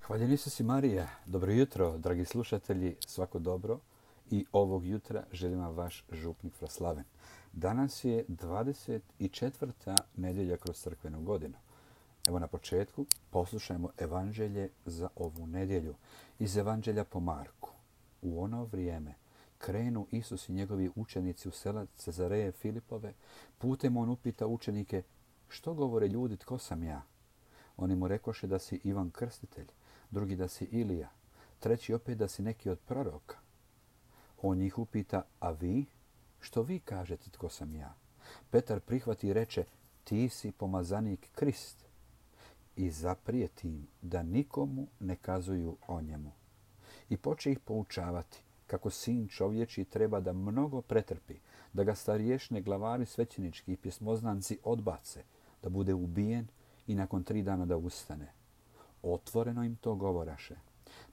Hvaljen Isus i Marija. Dobro jutro, dragi slušatelji, svako dobro. I ovog jutra želim vam vaš župnik Fraslaven. Danas je 24. nedjelja kroz crkvenu godinu. Evo na početku poslušajmo evanđelje za ovu nedjelju. Iz evanđelja po Marku. U ono vrijeme krenu Isus i njegovi učenici u sela Cezareje Filipove. Putem on upita učenike: što govore ljudi, tko sam ja? Oni mu rekoše da si Ivan Krstitelj, drugi da si Ilija, treći opet da si neki od proroka. On njih upita: a vi? Što vi kažete tko sam ja? Petar prihvati i reče: ti si pomazanik Krist. I zaprijeti im da nikomu ne kazuju o njemu. I poče ih poučavati kako sin čovječi treba da mnogo pretrpi, da ga starješne glavari svećenički i pjesmoznanci odbace, da bude ubijen i nakon 3 dana da ustane. Otvoreno im to govoraše.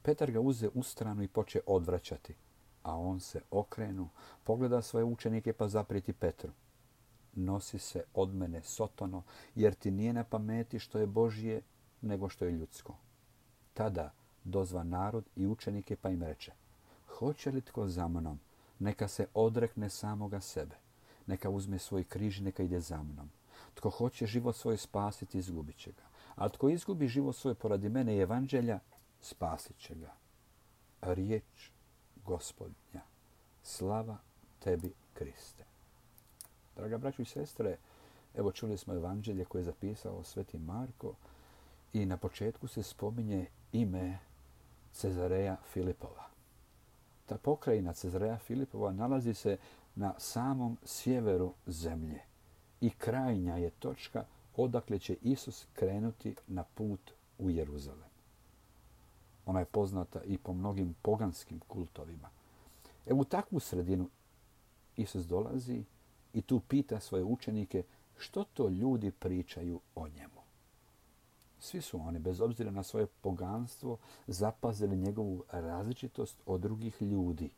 Petar ga uze u stranu i poče odvraćati, a on se okrenu, pogleda svoje učenike pa zaprijeti Petru: nosi se od mene, Sotono, jer ti nije na pameti što je Božje nego što je ljudsko. Tada dozva narod i učenike pa im reče: hoće li tko za mnom, neka se odrekne samoga sebe, neka uzme svoj križ i neka ide za mnom. Tko hoće život svoj spasiti, izgubit će ga. A tko izgubi život svoj poradi mene i evanđelja, spasit će ga. Riječ Gospodnja. Slava tebi, Kriste. Draga braćo i sestre, evo čuli smo evanđelje koje je zapisao sveti Marko i na početku se spominje ime Cezareja Filipova. Ta pokrajina Cezareja Filipova nalazi se na samom sjeveru zemlje i krajnja je točka odakle će Isus krenuti na put u Jeruzalem. Ona je poznata i po mnogim poganskim kultovima. Evo u takvu sredinu Isus dolazi i tu pita svoje učenike što to ljudi pričaju o njemu. Svi su oni, bez obzira na svoje poganstvo, zapazili njegovu različitost od drugih ljudi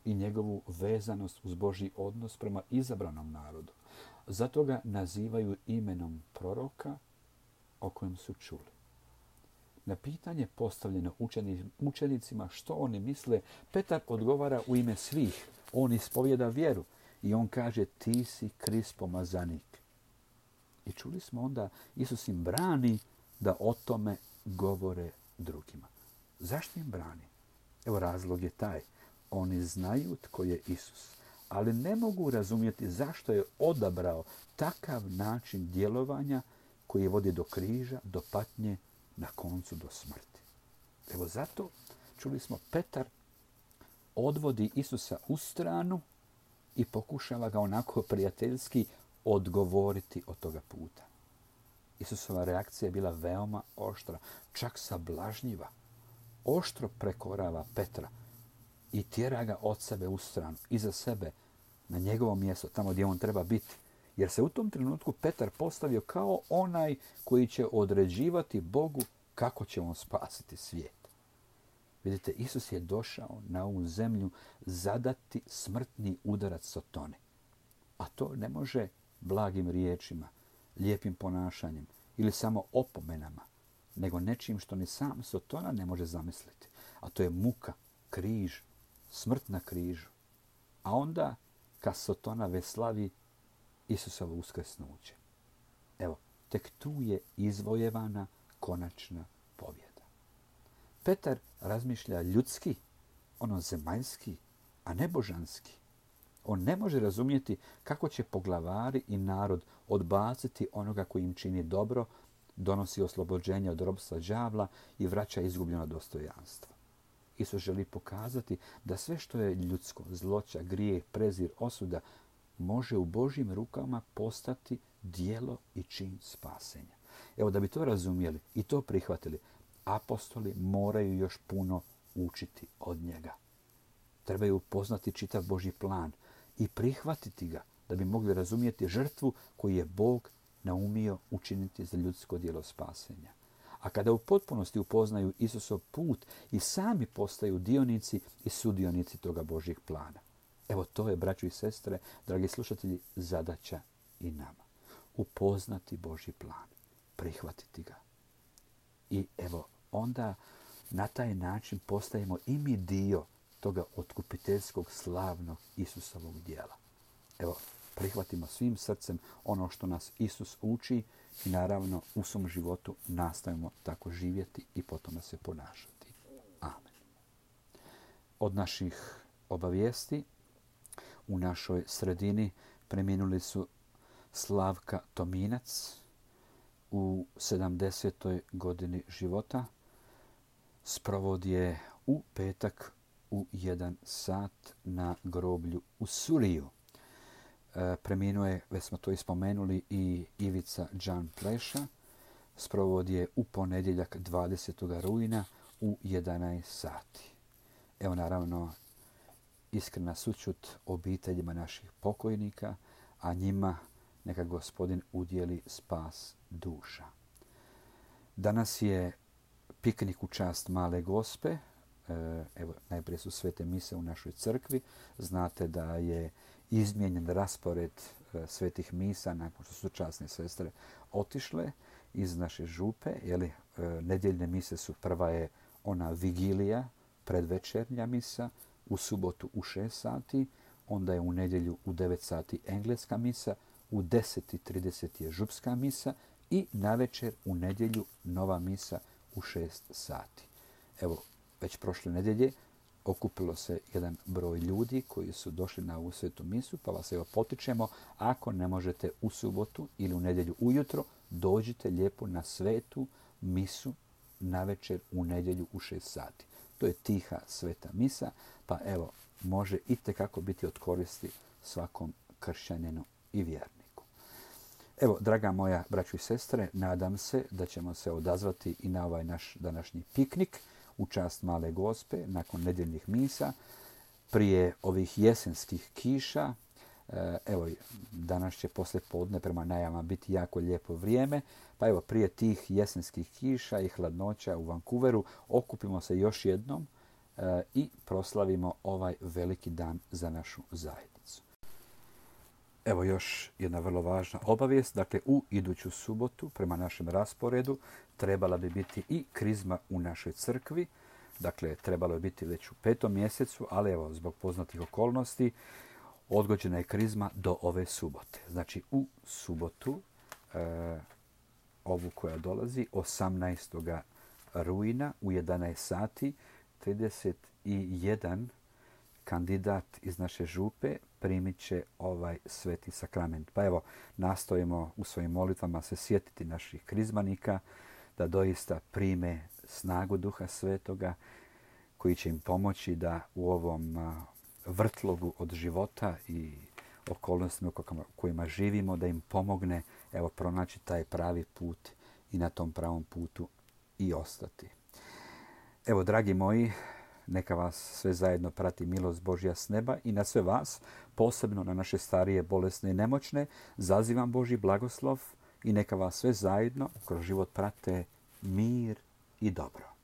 i njegovu vezanost uz Božji odnos prema izabranom narodu. Zato ga nazivaju imenom proroka o kojem su čuli. Na pitanje postavljeno učenicima što oni misle, Petar odgovara u ime svih. On ispovjeda vjeru i on kaže: ti si Krist pomazanik. I čuli smo onda, Isus im brani da o tome govore drugima. Zašto im brani? Evo razlog je taj. Oni znaju tko je Isus, ali ne mogu razumjeti zašto je odabrao takav način djelovanja koji vodi do križa, do patnje, na koncu do smrti. Evo zato, čuli smo, Petar odvodi Isusa u stranu i pokušava ga onako prijateljski odgovoriti od toga puta. Isusova reakcija je bila veoma oštra, čak sablažnjiva. Oštro prekorava Petra i tjera ga od sebe u stranu, iza sebe, na njegovo mjesto, tamo gdje on treba biti. Jer se u tom trenutku Petar postavio kao onaj koji će određivati Bogu kako će on spasiti svijet. Vidite, Isus je došao na ovu zemlju zadati smrtni udarac Sotoni. A to ne može blagim riječima, lijepim ponašanjem ili samo opomenama, nego nečim što ni sam Sotona ne može zamisliti. A to je muka, križ, smrt na križu. A onda, kad Sotona veslavi Isusovo uskrsnuće. Evo, tek tu je izvojevana konačna pobjeda. Petar razmišlja ljudski, ono zemaljski, a ne božanski. On ne može razumjeti kako će poglavari i narod odbaciti onoga koji im čini dobro, donosi oslobođenje od ropstva đavla i vraća izgubljeno dostojanstvo. Isus želi pokazati da sve što je ljudsko, zloća, grijeh, prezir, osuda, može u Božjim rukama postati djelo i čin spasenja. Evo, da bi to razumjeli i to prihvatili, apostoli moraju još puno učiti od njega. Trebaju upoznati čitav Božji plan i prihvatiti ga da bi mogli razumjeti žrtvu koju je Bog naumio učiniti za ljudsko djelo spasenja. A kada u potpunosti upoznaju Isusov put i sami postaju dionici i sudionici toga Božjeg plana. Evo to je, braćo i sestre, dragi slušatelji, zadaća i nama. Upoznati Božji plan, prihvatiti ga. I evo, onda na taj način postajemo i mi dio toga otkupiteljskog slavnog Isusovog djela. Evo, prihvatimo svim srcem ono što nas Isus uči i naravno u svom životu nastavimo tako živjeti i po tome se ponašati. Amen. Od naših obavijesti u našoj sredini preminuli su Slavka Tominac u 70. godini života. Sprovod je u petak u 1 sat na groblju u Suriju. Preminuo je, već smo to ispomenuli, i Ivica Đan Pleša. Sprovod je u ponedjeljak 20. rujna u 11 sati. Evo naravno iskrena sućut obiteljima naših pokojnika, a njima neka Gospodin udjeli spas duša. Danas je piknik u čast Male Gospe. Evo, najprije su svete mise u našoj crkvi. Znate da je izmijenjen raspored svetih misa nakon što su časne sestre otišle iz naše župe. Nedjeljne mise su, prva je ona vigilija, predvečernja misa, u subotu u 6 sati, onda je u nedjelju u 9 sati engleska misa, u 10:30 je župska misa i navečer u nedjelju nova misa u 6 sati. Evo, već prošle nedjelje okupilo se jedan broj ljudi koji su došli na ovu svetu misu, pa vas evo potičemo, ako ne možete u subotu ili u nedjelju ujutro, dođite lijepo na svetu misu navečer u nedjelju u 6 sati. To je tiha sveta misa, pa evo, može itekako biti od koristi svakom kršćaninu i vjerniku. Evo, draga moja braćo i sestre, nadam se da ćemo se odazvati i na ovaj naš današnji piknik u čast Male Gospe nakon nedjeljnih misa, prije ovih jesenskih kiša. Evo, danas će poslije podne prema najavama biti jako lijepo vrijeme, pa evo, prije tih jesenskih kiša i hladnoća u Vancouveru okupimo se još jednom i proslavimo ovaj veliki dan za našu zajednicu. Evo još jedna vrlo važna obavijest. Dakle, u iduću subotu prema našem rasporedu trebala bi biti i krizma u našoj crkvi. Dakle, trebalo je biti već u 5. mjesecu, ali evo, zbog poznatih okolnosti odgođena je krizma do ove subote. Znači, u subotu, ovu koja dolazi, 18. rujna u 11 sati, 31 kandidat iz naše župe primit će ovaj sveti sakrament. Pa evo, nastojimo u svojim molitvama se sjetiti naših krizmanika, da doista prime snagu Duha Svetoga, koji će im pomoći da u ovom vrtlogu od života i okolnostima u kojima živimo, da im pomogne evo pronaći taj pravi put i na tom pravom putu i ostati. Evo, dragi moji, neka vas sve zajedno prati milost Božja s neba i na sve vas, posebno na naše starije, bolesne i nemoćne, zazivam Božji blagoslov i neka vas sve zajedno kroz život prate mir i dobro.